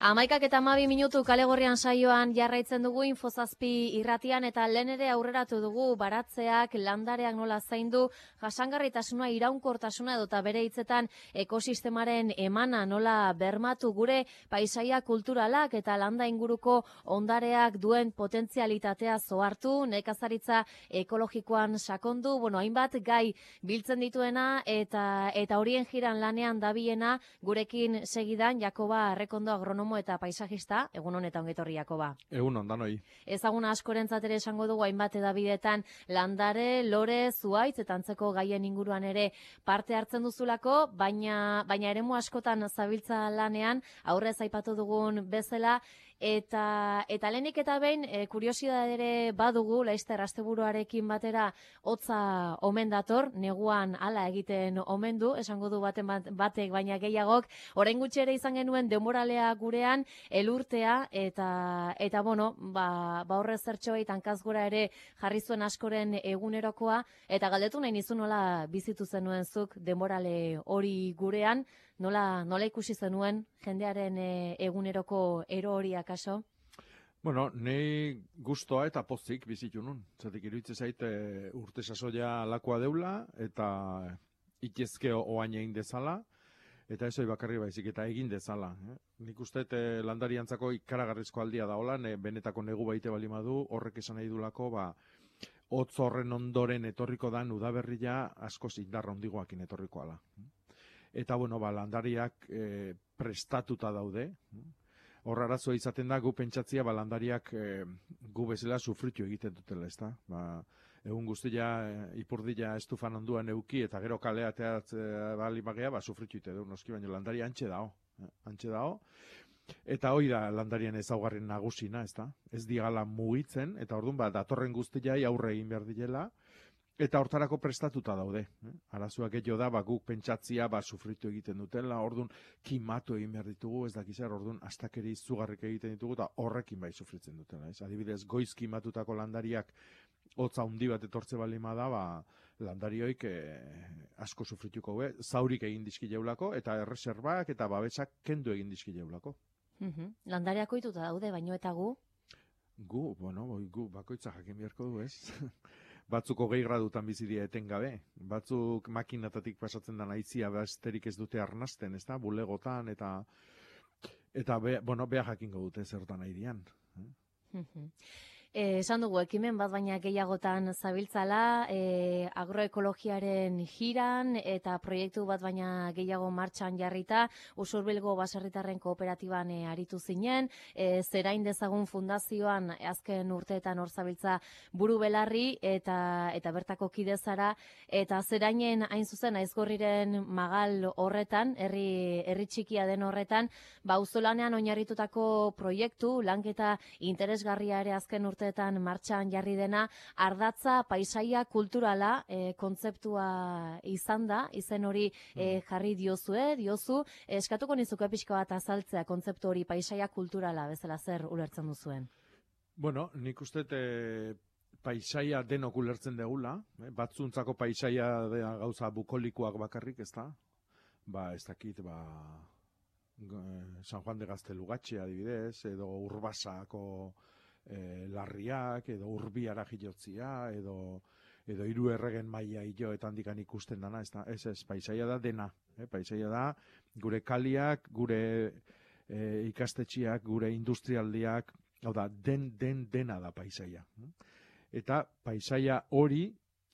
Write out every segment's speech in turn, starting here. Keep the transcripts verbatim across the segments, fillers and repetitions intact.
Amaikak eta amabi minutu kalegorrian saioan jarraitzen dugu Infozazpi irratian eta lehen ere aurreratu dugu baratzeak, landareak nola zaindu, jasangarritasuna, iraunkortasuna edota bere hitzetan ekosistemaren emana nola bermatu gure paisaia kulturalak eta landa inguruko ondareak duen potentzialitatea zohartu, nekazaritza ekologikoan sakondu, bueno, hainbat gai biltzen dituena eta eta horien jiran lanean dabiena gurekin segidan Jakoba Arrekondo agronomo eta paisajista, egun honetan ongetorri Jakoba. Egun on danoi. Ezaguna askorentzat ere esango dugu hainbat edabidetan landare, lore, zuhaitz eta antzeko gaien inguruan ere parte hartzen duzulako, baina baina eremu askotan zabiltza lanean, aurrez aipatu dugun bezala, eta eta lehenik eta behin e, kuriosidade ere badugu, laizter asteburuarekin batera hotza omen dator, neguan hala egiten omen du, esango du baten bat, batek baina gehiagok, orain gutxi ere izan genuen denboralea gurean, elurtea, eta eta bueno, ba, ba horre zertxoei tankaz gora ere jarri zuen askoren egunerokoa, eta galdetu nahi nizu nola bizitu zenuen zuk denborale hori gurean, nola, nola ikusi zenuen jendearen e, eguneroko ero hori akaso? Bueno, nei gustoa eta pozik bizitu nun. Zatik iruditzen zait e, urte sasoia lakoa deula eta itezke oain egin dezala, eta ez hori bakarri baizik eta egin dezala. Eh? Nik uste e, landariantzako ikaragarrizko aldia da hola, ne, benetako negu baite balimadu, horrek esan nahi dulako, ba, hotz horren ondoren etorriko dan udaberria askoz indarra ondigoakin etorriko ala. Eta, bueno, ba, landariak e, prestatuta daude. Horra arazoa izaten da, gu pentsatzia, ba, landariak e, gu bezala sufritu egiten dutela, ez da? Ba, egun guztia, e, ipurdila estufan onduan euki, eta gero kalea teatzea bali bagea, ba, sufritu ite du, noski, baina landari antxe dao. Eh? Antxe dao. Eta hoi da landarien ezaugarren nagusina, ez da? Ez digala mugitzen, eta orduan, ba, datorren guztiai aurre egin behar dilela, eta hortarako prestatuta daude. Eh? Arazoak gehiago da, ba, guk pentsatzia ba, sufritu egiten dutela, orduan kimatu egin behar ditugu, ez dakizar, orduan astakeri izugarrik egiten ditugu, eta horrekin bai sufritzen dutela. Ez? Adibidez, goiz kimatutako landariak hotza handi bat etortze balima da, ba, landarioik eh, asko sufrituko, be, zaurik egin dizki jaulako, eta erreserbak eta babesak kendu egin dizki jaulako. Uhum. Landariako ituta daude, baino eta gu? Gu, bueno, gu bakoitza jakin beharko du, ez? Batzuk hogei gradutan bizidia etengabe, batzuk makinatatik pasatzen da naizia besterik ez dute arnasten, ez da, bulegotan, eta eta be, bueno, beha jakingo dute zertan nahi dian. Eh, esan dugu, ekimen bat baina gehiagotan zabiltzala, eh, agroekologiaren jiran eta proiektu bat baina gehiago martxan jarrita, Usurbilgo baserritarren kooperatiban eh, aritu zinen, eh, Zerain Dezagun fundazioan azken urteetan hor zabiltza buru belarri eta eta bertako kidezara, eta Zerainen hain zuzen Aizgorriren magal horretan, herri herri txikia den horretan, ba auzolanean oinarritutako proiektu, lanketa interesgarria ere azken urte urteetan martxan jarri dena, ardatza paisaia kulturala e, kontzeptua izan da, izen hori e, jarri diozue, diozu, eskatuko nizuke pixka bat azaltzea kontzeptu hori paisaia kulturala bezala zer ulertzen duzuen? Bueno, nik uste e, paisaia denok ulertzen degula, eh? Batzuntzako paisaia da gauza bukolikoak bakarrik, ez da? Ba, ez dakit, ba... San Juan de Gaztelugatxe adibidez, edo Urbasako E, larriak, edo urbiara jilotzia, edo edo hiru erregen maila hiloetan dikan ikusten dana, ez da, ez ez, paisaia da dena, eh? Paisaia da gure kaliak, gure e, ikastetxiak, gure industrialdiak, hau da, den, den, dena da paisaia. Eta paisaia hori,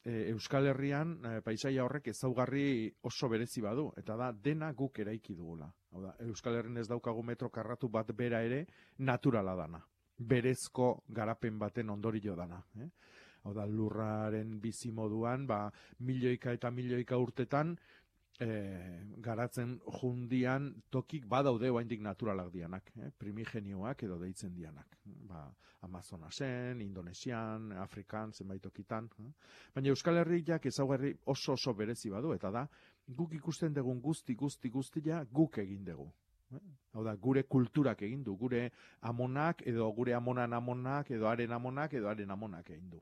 e, Euskal Herrian, e, paisaia horrek ezaugarri oso berezi badu, eta da, dena guk eraiki dugula. Hau da, Euskal Herrian ez daukagu metro karratu bat bera ere, naturala dana. Berezko garapen baten ondorio dana. Eh? Hau da, lurraren bizimoduan, ba, milioika eta milioika urtetan, e, garatzen jundian tokik badaude oraindik naturalak dianak, eh? Primigenioak edo deitzen dianak. Ba, Amazonasen, Indonesian, Afrikan, zenbait tokitan. Eh? Baina Euskal Herriak ezaugarri oso oso berezi badu, eta da, guk ikusten dugun guzti, guzti, guztia guk egin dugu. Hau da, gure kulturak egin du, gure amonak, edo gure amonan amonak, edo haren amonak, edo haren amonak egin du.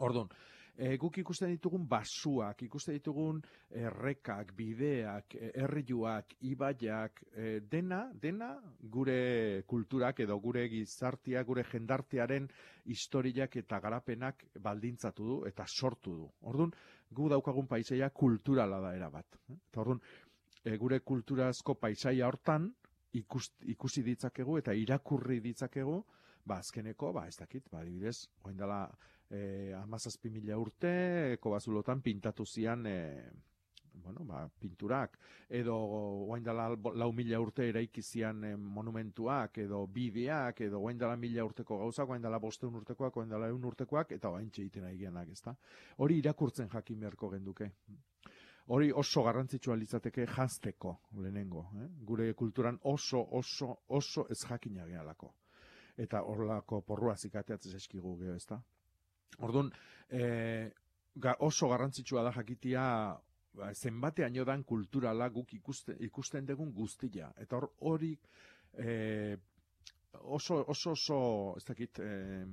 Orduan, E, guk ikusten ditugun basuak, ikusten ditugun errekak, bideak, herriuak, ibaiak, e, dena, dena gure kulturak edo gure gizartia, gure jendartearen historiak eta garapenak baldintzatu du eta sortu du. Orduan, gu daukagun paisaia kulturala da erabat. Eta orduan, e, gure kulturazko paisaia hortan ikus, ikusi ditzakegu eta irakurri ditzakegu, ba, azkeneko, ba, ez dakit, ba, adibidez, oain dela eh, amazazpi mila urte, eko bazulotan pintatu zian, eh, bueno, ba, pinturak, edo oain dela lau mila urte eraiki zian eh, monumentuak, edo bideak, edo oain dela mila urteko gauzak, oain dela bosteun urtekoak, oain dela eun urtekoak, eta oain txeiten aigeanak, ezta? Hori irakurtzen jakin beharko genduke. Hori oso garrantzitsua litzateke janzteko lehenengo. Eh? Gure kulturan oso, oso, oso ez jakina gehalako. Eta horlako porrua zikateatzen eskigu geho, ezta? Orduan, e, ga, oso garrantzitsua da jakitia ba, zenbateaino dan kulturala guk ikusten, ikusten dugun guztia. Eta hor, hori e, oso, oso, oso, ez dakit, e,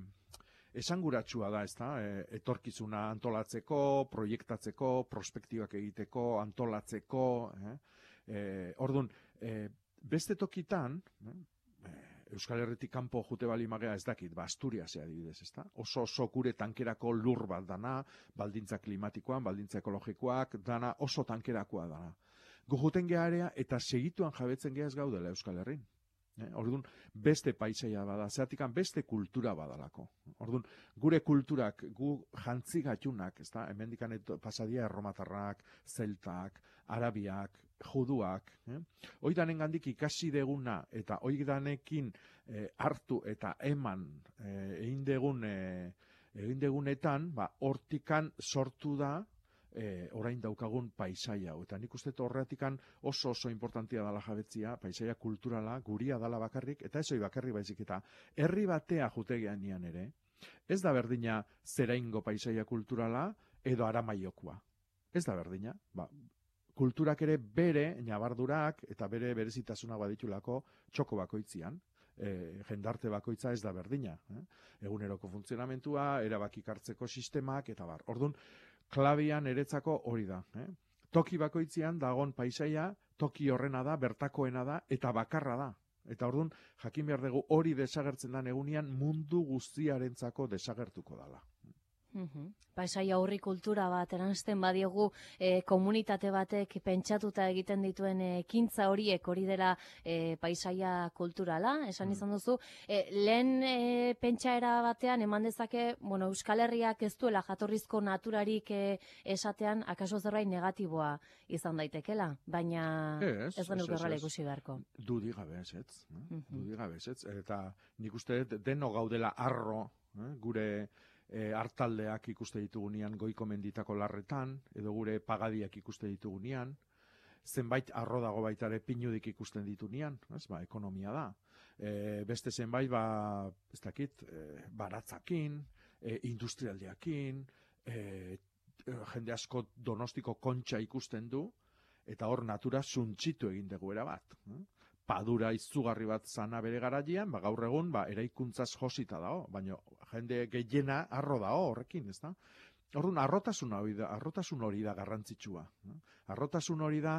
esanguratsua da, ezta? E, etorkizuna antolatzeko, proiektatzeko, prospektibak egiteko, antolatzeko, eh? E, orduan, e, beste tokitan, eh? Euskal Herritik kanpo jute bali magea ez dakit, ba, Asturiasea adibidez, ezta? Oso oso gure tankerako lur bat dana, baldintza klimatikoan, baldintza ekologikoak, dana oso tankerakoa dana. Gu juten gearea eta segituan jabetzen gea ez gaudela Euskal Herrin. Eh? Orduan, beste paisaia bada, zeratikan beste kultura badalako. Orduan, gure kulturak, gu jantzi gatunak, ezta? Hemendikan pasadia erromatarrak, zeltak, arabiak, juduak, eh? Oidanen gandik ikasi deguna eta oidanekin eh, hartu eta eman eh, egin degun eh, egin degunetan, ba, hortikan sortu da eh, orain daukagun paisaia. Eta nik uste horretikan oso oso importantia dala jabetzia, paisaia kulturala, guria dala bakarrik, eta ez hori bakarrik baizik eta herri batea jutegean nian ere, ez da berdina zeraingo paisaia kulturala edo Aramaiokua. Ez da berdina, ba, kulturak ere bere nabardurak eta bere berezitasuna baditulako txoko bakoitzian, e, jendarte bakoitza ez da berdina. Eh? Eguneroko funtzionamentua, erabakik hartzeko sistemak, eta bar. Orduan, klabian eretzako hori da. Eh? Toki bakoitzian dagon paisaia, toki horrena da, bertakoena da, eta bakarra da. Eta orduan, jakin behar dugu hori desagertzen den egunean mundu guztiarentzako desagertuko dala. Uhum. Paisaia horri kultura bat eransten badiogu e, komunitate batek pentsatuta egiten dituen ekintza horiek hori dela e, paisaia kulturala, esan mm. izan duzu. E, lehen e, pentsaera batean eman dezake, bueno, Euskal Herriak ez duela jatorrizko naturarik e, esatean, akaso zerbait negatiboa izan daitekela, baina ez, ez genuke horrela ikusi beharko. Dudi gabe ez, ez. Mm-hmm. Dudi gabe ez, eta nik uste deno gaudela arro, eh, gure E, hartaldeak ikuste ditugunean goiko menditako larretan, edo gure pagadiak ikuste ditugunean, zenbait arro dago baita ere pinudik ikusten ditugunean, ez, ba, ekonomia da. E, beste zenbait, ba, ez dakit, e, baratzakin, e, industrialdiakin, e, jende asko Donostiko kontxa ikusten du, eta hor natura suntxitu egin dugu erabat. Eh? Padura izugarri bat zana bere garaian, ba, gaur egun ba, eraikuntzaz josita dago, baina jende gehiena arro dago horrekin, ez da? Orduan, arrotasun hori da, arrotasun hori da garrantzitsua. Eh? Arrotasun hori da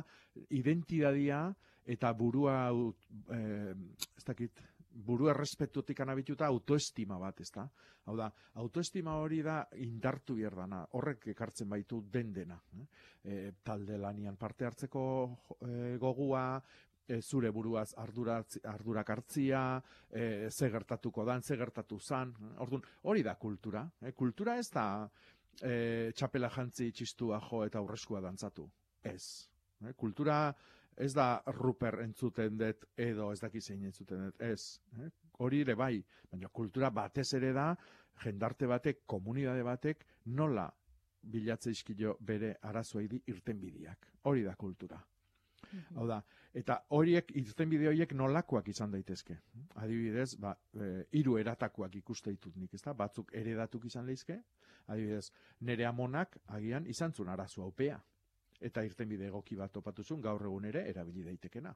identidadia eta burua, eh, ez dakit, buru errespetutik anabituta autoestima bat, ez da? Hau da, autoestima hori da indartu bierdana, horrek ekartzen baitu den dena. Eh? E, talde lanian parte hartzeko e, gogua, E, zure buruaz arduratz, ardurak hartzia, e, ze gertatuko dan, ze gertatu zan. Orduan, hori da kultura. E, kultura ez da e, txapela jantzi txistua jo eta aurreskua dantzatu. Ez. E, kultura ez da Ruper entzuten dut edo ez daki zein entzuten dut. Ez. E, hori ere bai. Baina kultura batez ere da, jendarte batek, komunidade batek, nola bilatze izkilo bere arazoa idi irtenbideak. Hori da kultura. Hau da, eta horiek, irtenbide horiek nolakoak izan daitezke. Adibidez, ba, e, hiru eratakoak ikuste ditut nik, ezta? Batzuk eredatuk izan leizke, adibidez, nere amonak agian izan zuen arazo haupea. Eta irtenbide egoki bat topatuzun gaur egun ere erabili daitekena.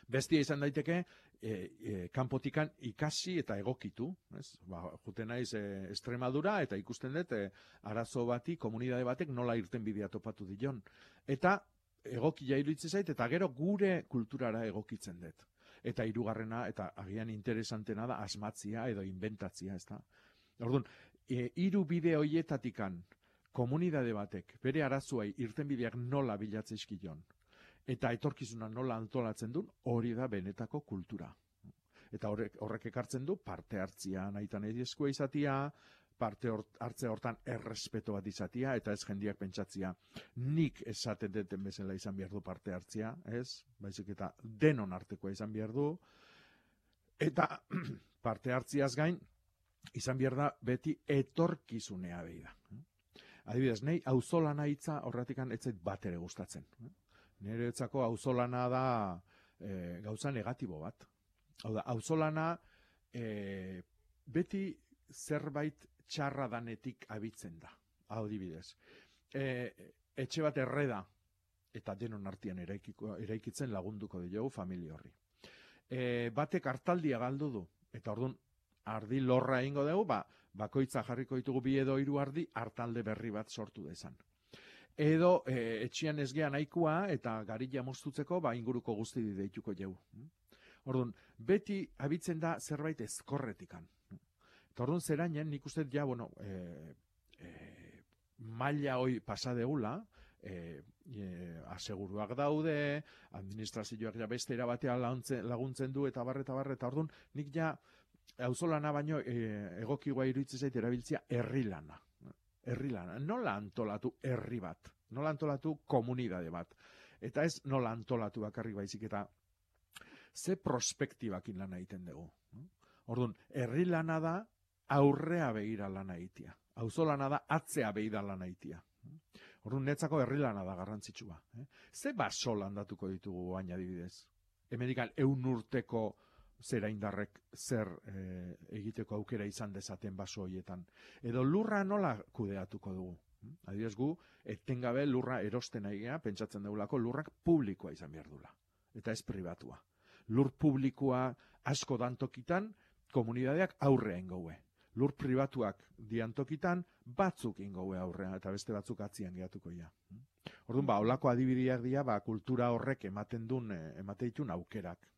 Bestia izan daiteke, e, e, kanpotikan ikasi eta egokitu, ez? Ba, juten naiz e, Extremadura eta ikusten dut e, arazo bati, komunitate batek nola irten bidea topatu dion. Eta egokia iruditzen zait, eta gero gure kulturara egokitzen dut. Eta hirugarrena eta agian interesantena da asmatzia edo inventatzia, ezta? Orduan, e, hiru bide hoietatikan komunitate batek bere arazoei irtenbideak nola bilatzeizkion eta etorkizuna nola antolatzen duen, hori da benetako kultura. Eta horrek, horrek ekartzen du parte hartzia nahitan edizkoa izatia, parte hartze hortan errespeto bat izatia, eta ez jendiak pentsatzia nik esaten deten bezala izan behar du parte hartzia, ez? Baizik eta denon artekoa izan behar du, eta parte hartziaz gain, izan behar da beti etorkizunea behi da. Adibidez, nahi auzolana hitza horretikan etzait bat ere gustatzen. Niretzako auzolana da e, gauza negatibo bat. Hau da, auzolana e, beti zerbait txarra danetik abitzen da. Adibidez, e, etxe bat erreda eta denon artean eraikiko, eraikitzen lagunduko diogu familia horri. E, batek hartaldia galdu du, eta orduan ardi lorra egingo dugu, ba, bakoitza jarriko ditugu bi edo hiru ardi hartalde berri bat sortu dezan. Edo e, etxian ez gean nahikoa eta garilla moztutzeko ba, inguruko guzti deituko jau. Orduan, beti abitzen da zerbait ezkorretikan. Eta orduan zerainen, nik uste ja, bueno, e, e, maila hoi pasadegula, e, e, aseguruak daude, administrazioak ja beste erabatea laguntzen du, eta barre, eta barre, eta orduan, nik ja, auzolana baino e, egokigoa iruditzen zait erabiltzea herri lana. Herri lana. Nola antolatu herri bat? Nola antolatu komunitate bat? Eta ez nola antolatu bakarrik baizik eta ze prospektibakin lana egiten dugu. Orduan, herri lana da aurrea begira lana egitea. Auzolana da atzea begira lana egitea. Orduan, netzako herri lana da garrantzitsua. Ze baso landatuko ditugu baina adibidez? Hemendikan ehun urteko zera indarrek zer e, egiteko aukera izan dezaten baso horietan. Edo lurra nola kudeatuko dugu. Adibidez gu, etengabe lurra erosten aigea, pentsatzen dugulako lurrak publikoa izan behar dula. Eta ez pribatua. Lur publikoa asko dantokitan, komunitateak aurrea ingoue. Lur pribatuak diantokitan, batzuk ingoue aurrea, eta beste batzuk atzian gehatuko ia. Orduan, ba, holako adibideak dira, ba, kultura horrek ematen duen, ematen ditun aukerak.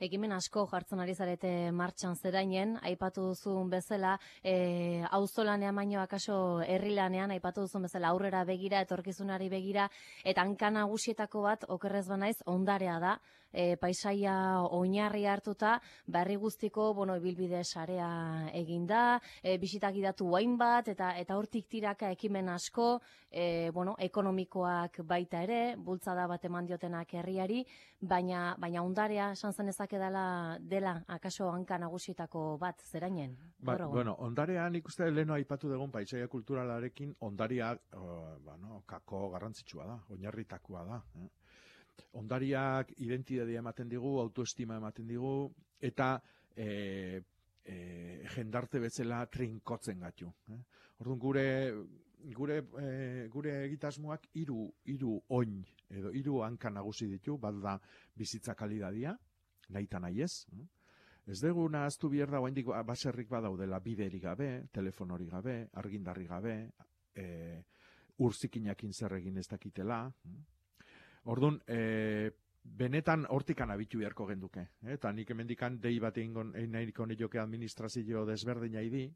Ekimen asko jartzen ari zarete martxan zerainen, aipatu duzun bezala, e, auzolanean baino akaso herrilanean, aipatu duzun bezala aurrera begira, etorkizunari begira, eta hanka nagusietako bat, okerrez banaiz, ondarea da, e, paisaia oinarri hartuta, berri guztiko, bueno, ibilbide sarea eginda, e, bisitak idatu guain bat, eta eta hortik tiraka ekimen asko, e, bueno, ekonomikoak baita ere, bultzada bat eman diotenak herriari, baina, baina ondarea esan zen ezak edala dela, akaso hanka nagusietako bat, zerainen? Ba, bueno, ondarea nik uste leheno aipatu dugun paisaia kulturalarekin ondariak, uh, bueno, kako garrantzitsua da, oinarritakoa da. Eh? Ondariak identitatea ematen digu, autoestima ematen digu, eta e, e, jendarte bezala trinkotzen gatu. Eh? Orduan gure gure e, gure egitasmoak hiru hiru oin edo hiru hanka nagusi ditu, bat da bizitza kalidadia, nahita nahi ez. Ez dugu nahaztu behar da, oraindik baserrik badaudela biderik gabe, telefonorik gabe, argindarri gabe, e, urzikinakin zer egin ez dakitela. Orduan, e, benetan hortikan abitu beharko genduke. Eta nik hemendikan dei bat egin nahiko nioke administrazio desberdina idi,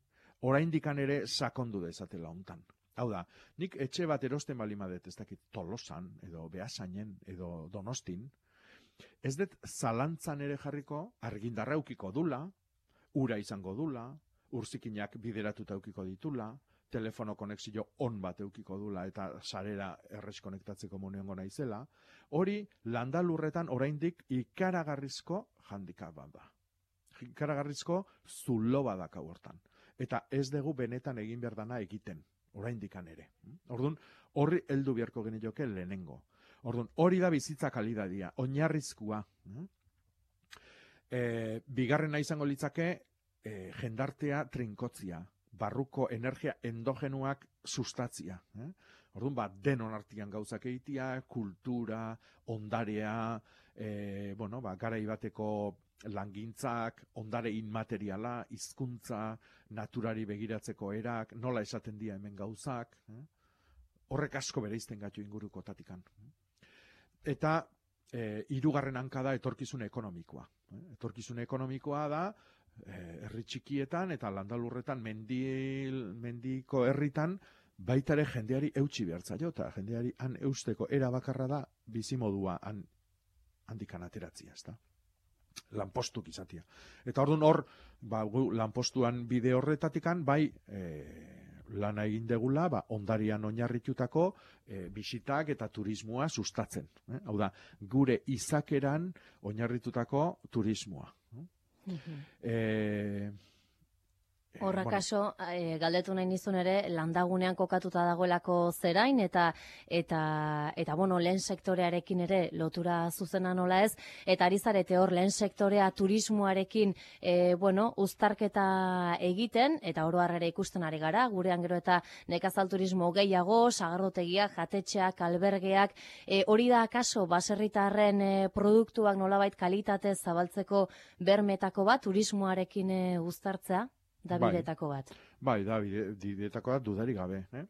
oraindikan ere sakondu dezatela hontan. Hau da, nik etxe bat erosten balimadet, ez dakit Tolosan, edo Beasainen, edo Donostin, ez dut zalantzan ere jarriko, argindarra eukiko dula, ura izango dula, urzikinak bideratuta eukiko ditula, telefono konexio on bat eukiko dula eta sarera errez konektatzeko monengo naizela, hori landalurretan oraindik ikaragarrizko handikap bat da. Ikaragarrizko zulo badaka hortan. Eta ez dugu benetan egin behar dana egiten, oraindikan ere. Orduan, horri heldu beharko genioke lehenengo. Orduan, hori da bizitza kalidadia, oinarrizkoa. E, bigarrena izango litzake, e, jendartea trinkotzia, barruko energia endogenuak sustatzia. Eh? Orduan, ba, denon artian gauzak egitea, kultura, ondarea, e, bueno, ba, garai bateko langintzak, ondare inmateriala, hizkuntza, naturari begiratzeko erak, nola esaten dira hemen gauzak, eh? Horrek asko bereizten gaitu inguruko tatikan. Eta e, hirugarren hanka da etorkizun ekonomikoa. Eh? Etorkizun ekonomikoa da eh, herri txikietan eta landalurretan mendil, mendiko herritan baita ere jendeari eutsi behar zaio, eta jendeari han eusteko era bakarra da bizimodua han, handikan ateratzia, ezta? Lanpostuk izatia. Eta orduan hor, ba, lanpostuan bide horretatikan, bai, e, lana egin degula, ba, ondarian oinarritutako e, bisitak eta turismoa sustatzen. Eh? Hau da, gure izakeran oinarritutako turismoa. Mhm. E, Horra bueno, kaso, e, galdetu nahi nizun ere, landagunean kokatuta dagoelako zerain, eta, eta, eta bueno, lehen sektorearekin ere lotura zuzena nola ez, eta ari zarete hor lehen sektorea turismoarekin, e, bueno, uztarketa egiten, eta oro harrera ikusten ari gara, gurean gero eta nekazal turismo gehiago, sagardotegiak, jatetxeak, albergeak, e, hori da kaso, baserritarren e, produktuak nolabait kalitate zabaltzeko bermetako bat, turismoarekin e, uztartzea? Da bidetako bat. Bai, da bidetako bat dudari gabe. Eh?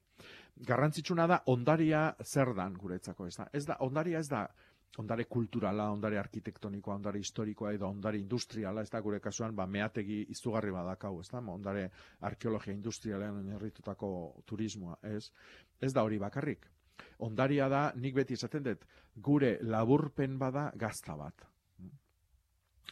Garrantzitsuna da ondaria zer dan guretzako. Ez da, ez da, ondaria ez da ondare kulturala, ondare arkitektonikoa, ondare historikoa edo ondare industriala, ez da gure kasuan, ba, meategi izugarri badakau, ez da, ondare arkeologia industrialean oinarritutako turismoa, ez, ez da hori bakarrik. Ondaria da, nik beti esaten dut, gure laburpen bada gazta bat.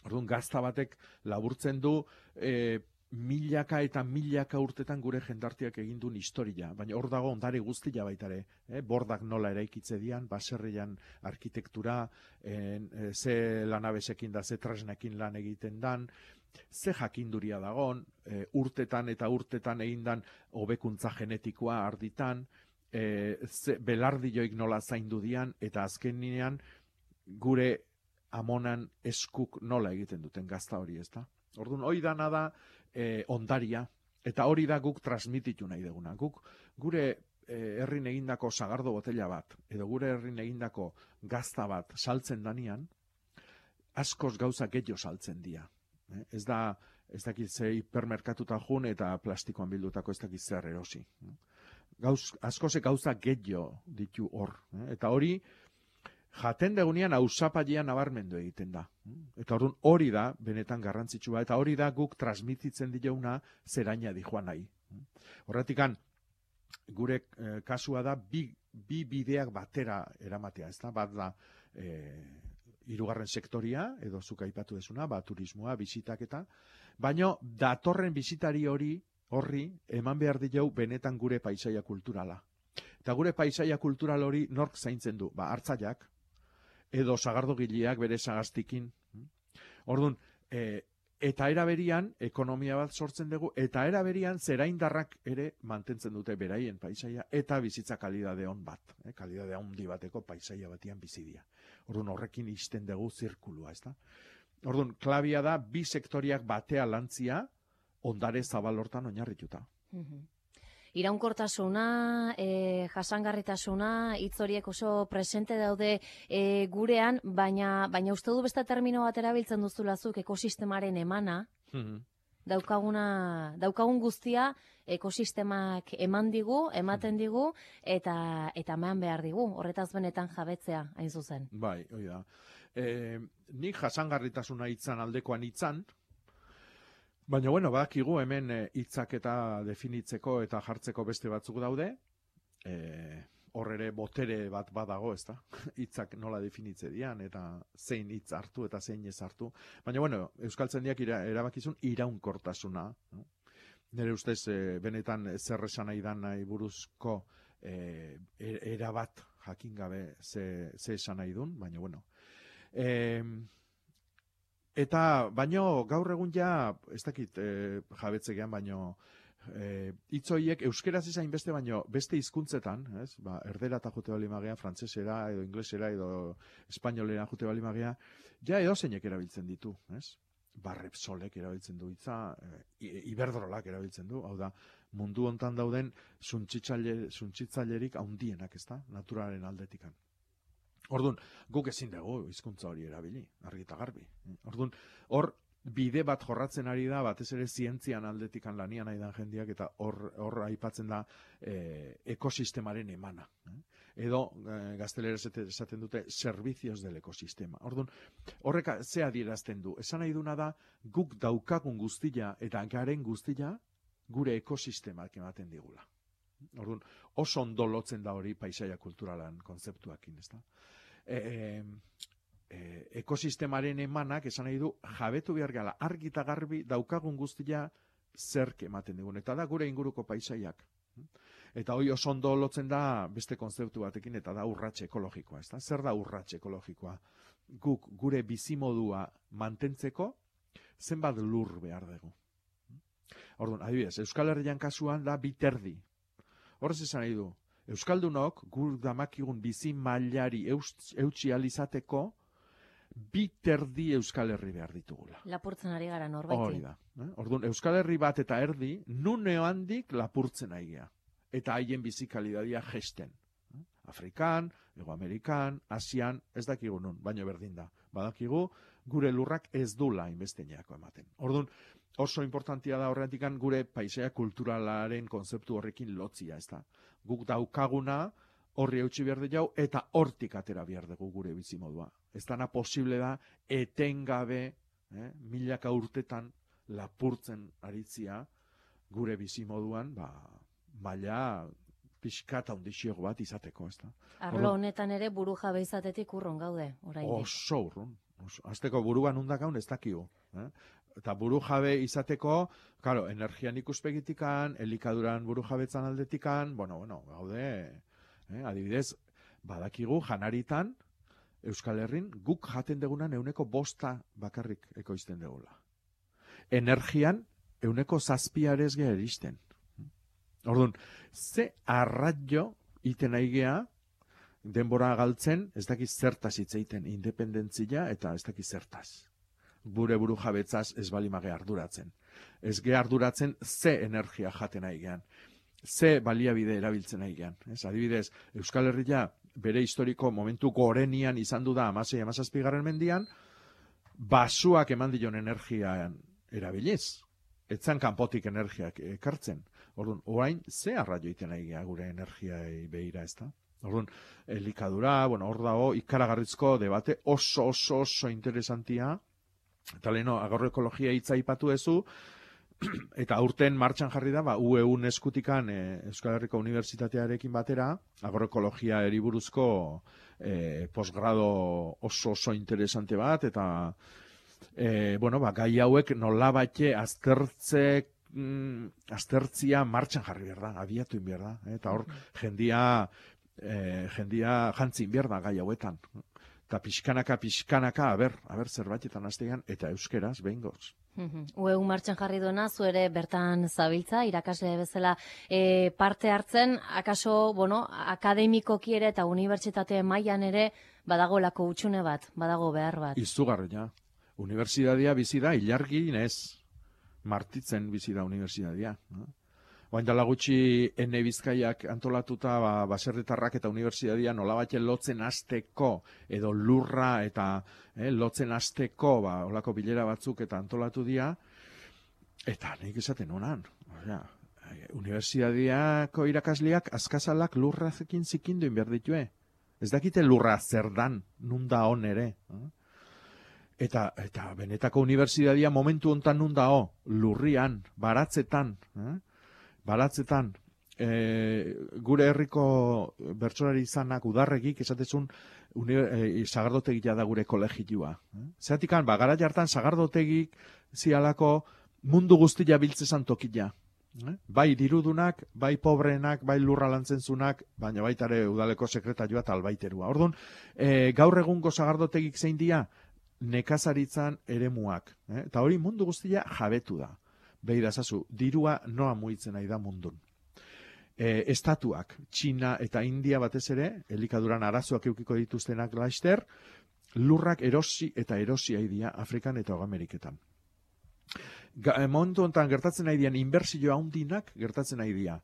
Orduan, gazta batek laburtzen du, e, milaka eta milaka urtetan gure jendartiak egin duen historia, baina hor dago ondare guztia baitare, eh? Bordak nola eraikitze dian, baserrian arkitektura, en, e, ze lanabesekin da, ze tresnekin lan egiten dan, ze jakinduria dagon, e, urtetan eta urtetan egin dan hobekuntza genetikoa arditan, e, ze belardioik nola zaindu dian, eta azkenean gure amonan eskuk nola egiten duten gazta hori, ez da? Orduan, hori dana da, E, ondaria, eta hori da guk transmititu nahi deguna. Guk gure e, herrin egindako sagardo botella bat, edo gure herrin egindako gazta bat saltzen danian, askoz gauza gehiago saltzen dira. Eh? Ez da, ez dakit ze hipermerkatuta jun eta plastikoan bildutako ez dakit zer erosi. Gauz, askoze gauza gehiago ditu hor. Eh? Eta hori, jaten degunean ausapailean nabarmendu egiten da. Eta orduan hori da, benetan garrantzitsua, eta hori da guk transmititzen dioguna zeraina di joan nahi. Horretikan, gure eh, kasua da bi, bi bideak batera eramatea, ez da? Bat da, eh, hirugarren sektoria, edo zuk aipatu dezuna, ba, turismoa, bisitak eta, baino datorren bisitari hori, horri, eman behar diegu benetan gure paisaia kulturala. Eta gure paisaia kultural hori nork zaintzen du? Ba, hartzaileak, edo sagardogileak bere sagaztikin. Orduan, e, eta eraberian, ekonomia bat sortzen dugu, eta eraberian zeraindarrak ere mantentzen dute beraien paisaia, eta bizitza kalidade on bat, eh, kalidade handi bateko paisaia batian bizidia. Orduan, horrekin izten dugu zirkulua, ez da? Orduan, klabia da, bi sektoriak batea lantzia, ondare zabalortan oinarrituta. Mhm. Iraunkortasuna, e, jasangarritasuna, hitz horiek oso presente daude e, gurean, baina, baina uste du beste termino bat erabiltzen duzulazuk ekosistemaren emana, Mhm. daukaguna, daukagun guztia ekosistemak eman digu, ematen digu, eta eta eman behar digu, horretaz benetan jabetzea, hain zuzen. Bai, hori da. E, nik jasangarritasuna hitzan aldekoan hitzan, baina, bueno, badakigu hemen hitzak eta definitzeko eta jartzeko beste batzuk daude, e, hor ere botere bat badago, ez da? Hitzak nola definitze dian, eta zein hitz hartu eta zein ez hartu. Baina, bueno, euskaltzaindiak ira, erabakizun iraunkortasuna. No? Nire ustez, e, benetan zer esan nahi dan nahi buruzko e, erabat jakin gabe ze, ze esan nahi dun, baina, bueno. E, Eta, baino, gaur egun ja, ez dakit e, jabetzegean, baino, e, hitzoiek euskeraz izain beste, baino, beste hizkuntzetan, ez? Ba, erdera eta jute bali magea, frantzesera, edo inglesera, edo espainolera jute bali magea, ja edo zeinek erabiltzen ditu, ez? Ba, Repsolek erabiltzen du hitza, e, Iberdrolak erabiltzen du, hau da, mundu hontan dauden suntsitzailerik haundienak, ez da? Naturaren aldetikan. Orduan, guk ezin dugu hizkuntza hori erabili, argi eta garbi. Orduan, hor bide bat jorratzen ari da, batez ere zientzian aldetikan lanian nahi dan jendiak, eta hor, hor aipatzen da eh, ekosistemaren emana. Eh? Edo, eh, gazteleraz esaten dute, servicios del ekosistema. Orduan, horrek ze adierazten du. Esan nahi duna da, guk daukagun guztia eta garen guztia gure ekosistemak ematen digula. Orduan, oso ondo lotzen da hori paisaia kulturalan kontzeptuakin, ez da? E, e, ekosistemaren emanak, esan nahi du, jabetu behar gala, argi eta garbi daukagun guztia zerk ematen digun. Eta da gure inguruko paisaiak. Eta hori oso ondo lotzen da beste kontzeptu batekin, eta da urratxe ekologikoa, ez da? Zer da urratxe ekologikoa? Guk gure bizimodua mantentzeko zenbat lur behar dugu. Orduan, adibidez, Euskal Herrian kasuan da biterdi. Horrez esan nahi du, Euskaldunok gur damakigun bizi mailari eutsi alizateko biterdi Euskal Herri behar ditugula. Lapurtzen ari gara norbaiti. Hori da. Eh? Orduan, Euskal Herri bat eta erdi, nuneo handik lapurtzen aigea. Eta haien bizikalidadia gesten. Afrikan, Ego Amerikan, Asian, ez dakigu nun, baino berdin da. Badakigu, gure lurrak ez du lain besteneako ematen. Orduan, oso importantia da horretikan gure paisaia kulturalaren konzeptu horrekin lotzia, ez da. Guk daukaguna horri eutxi behar jau, eta hortik atera behar dugu gure bizimodua. Ez dana posible da, etengabe, eh, milaka urtetan lapurtzen aritzia gure bizimoduan, ba, maila pixkata undixiogo bat izateko, ez da. Arlo honetan ere buru jabe izatetik urrun gaude, oraindik. Oso urrun. Azteko buruan undak gaun ez dakigu. Eh? Eta buru jabe izateko, claro, energian ikuspegitikan, elikaduran buru jabetzan aldetikan, bueno, bueno, gaude, eh? Adibidez, badakigu janaritan, Euskal Herrin, guk jaten degunan euneko bosta bakarrik ekoizten degula. Energian, euneko zazpiarez geha eristen. Orduan, ze arraio iten aigea, denbora galtzen, ez dakiz zertaz hitzeiten independentzia eta ez dakiz zertaz. Gure buru jabetzaz ez balimage arduratzen. Ez ge arduratzen ze energia jaten aigean. Ze baliabide erabiltzen aigean. Ez, adibidez, Euskal Herria bere historiko momentu gorenian izan du da amasei amazazpigarren mendian, basuak eman dion energian erabiliz. Etzan kanpotik energiak ekartzen. Orduan, orain ze arraio iten aigea gure energiai behira, ez da? Orduan, elikadura, bueno, hor dago, ikaragarrizko debate oso, oso, oso interesantia. Eta leheno, agroekologia hitza aipatu ezu, eta aurten martxan jarri da, ba, U E U eskutikan e, Euskal Herriko Unibertsitatearekin batera, agroekologia eriburuzko e, posgrado oso, oso interesante bat, eta e, bueno, ba, gai hauek nolabait aztertzek, mm, aztertzia martxan jarri behar da, abiatu behar da, eh? Eta hor, jendia, eh, jendia jantzin behar da gai hauetan. Eta pixkanaka, pixkanaka, aber, aber zerbaitetan aztean, eta euskeraz, behin goz. U E U martxan jarri duena, zu ere bertan zabiltza, irakasle bezala e, parte hartzen, akaso, bueno, akademikoki ere eta unibertsitate mailan ere badagolako utxune bat, badago behar bat. Izugarria. Unibertsitatea bizi da, ilargi inez, martitzen bizi da unibertsitatea. Oain dala gutxi ene Bizkaiak antolatuta ba, baserritarrak eta unibertsitatea nolabait lotzen hasteko edo lurra eta eh, lotzen hasteko ba, olako bilera batzuk eta antolatu dira, eta nik esaten honan. Osea, unibertsitateako irakasleak azkazalak lurrazekin zikinduin behar ditue. Ez dakite lurra zer dan, nun da hon ere. Eh? Eta, eta benetako unibertsitatea momentu hontan nun dao, lurrian, baratzetan, eh? baratzetan, e, gure herriko bertsolari izanak udarregik esatezun e, sagardotegia da gure kolegioa. Eh? Zeratikan, ba, gara jartan sagardotegik zialako mundu guztia biltzezan tokila. Eh? Bai dirudunak, bai pobrenak, bai lurra lantzentzunak, baina baitare udaleko sekretarioa eta albaiterua. Orduan, e, gaur egungo sagardotegik zein dia, nekazaritzan eremuak. Eh? Eta hori mundu guztia jabetu da. Beira zazu, dirua noa muitzen nahi da mundun. E, estatuak, Txina eta India batez ere, elikaduran arazoak eukiko dituztenak laster, lurrak erosi eta erosi haidia Afrikan eta Ameriketan. Momentu honetan gertatzen nahi dian, inbertsio handinak gertatzen nahi dia.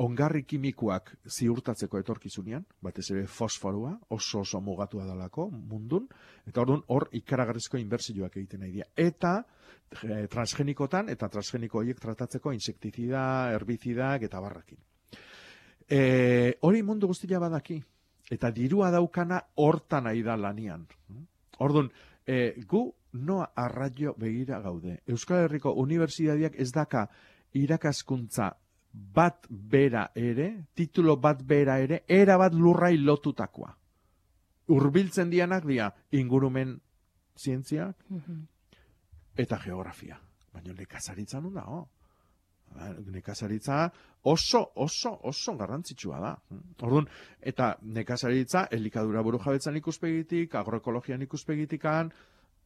ongarri kimikoak ziurtatzeko etorkizunean, batez ere fosforua, oso oso mugatua dalako mundun, eta orduan hor ikaragarrizko inbertsioak egiten nahi dira. Eta e, transgenikotan, eta transgeniko horiek tratatzeko insektizida, herbizidak eta barrakin. E, hori mundu guztia badaki, eta dirua daukana hortan nahi da lanian. Orduan, e, gu noa arraio begira gaude. Euskal Herriko Unibertsitateak ez daka irakaskuntza bat bera ere, titulo bat bera ere, era bat lurrai lotutakoa. Hurbiltzen dianak dia ingurumen zientziak eta geografia. Baina nekazaritza nun dago. Nekazaritza oso, oso, oso garrantzitsua da. Orduan, eta nekazaritza elikadura burujabetzan ikuspegitik, agroekologian ikuspegitikan,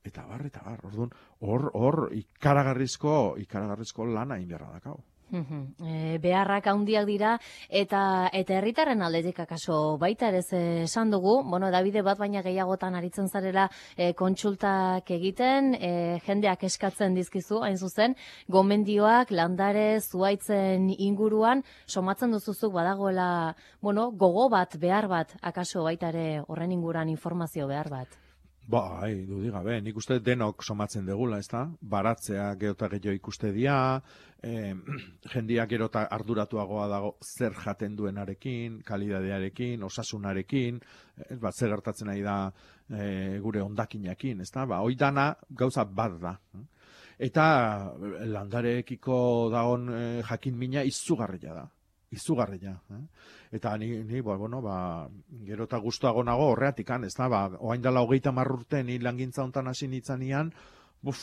eta bar, eta bar. Orduan, hor, hor, ikaragarrizko, ikaragarrizko lana inberra dakau. E, beharrak handiak dira eta eta herritarren aldetik akaso baita ere esan dugu, bueno, Davide bat baina gehiagotan aritzen zarela e, kontsultak egiten, e, jendeak eskatzen dizkizu, hain zuzen, gomendioak landare zuaitzen inguruan somatzen duzuzuk badagoela, bueno, gogo bat, behar bat, akaso baita ere horren inguruan informazio behar bat. Bai, dudik gabe, nik uste denok somatzen degula, ez da? Baratzea geota gehiago ikuste dia, eh, jendia gerota arduratuagoa dago zer jaten duenarekin, kalidadearekin, osasunarekin, ez bat zer gertatzen nahi da eh, gure ondakinakin, ez da? Ba, hoi dana gauza bat da. Eta landareekiko dagon eh, jakin mina izugarria da. Izugarria. Eh? Eta ni, ni bueno, ba, gero eta guztuago nago horreatikan, ez da, ba, oain dela hogeita marrurte ni langintza hontan hasi nitzanian, buf,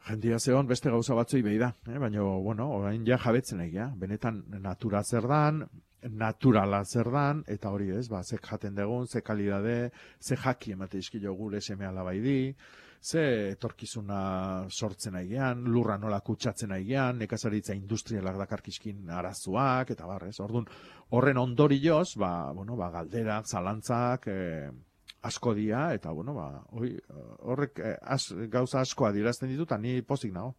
jendia zehon beste gauza batzui behi da, eh? Baina, bueno, orain ja jabetzen egia, benetan natura zer dan, naturala zer dan, eta hori ez, ba, ze jaten dugun, ze kalidade, ze jaki emate izkilo gure seme alabai di, ze etorkizuna sortzen aigean, lurra nola kutsatzen aigean, nekazaritza industrialak dakarkizkin arazoak, eta barrez, orduan, horren ondorioz, ba, bueno, ba, galderak, zalantzak, eh, asko dia, eta, bueno, ba, hoi, horrek eh, as, gauza askoa dirazten ditut, ni pozik nago.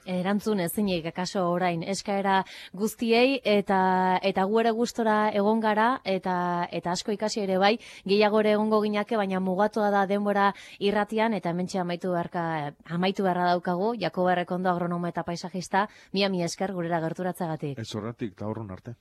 Erantzun ezinik akaso orain eskaera guztiei eta eta gu ere gustora egon gara eta eta asko ikasi ere bai, gehiago ere egongo ginake, baina mugatua da denbora irratian eta hementxe amaitu beharka amaitu beharra daukagu. Jakoba Errekondo, agronomo eta paisajista, mila mila esker gurera gerturatzagatik. Ez horretik, eta horren arte.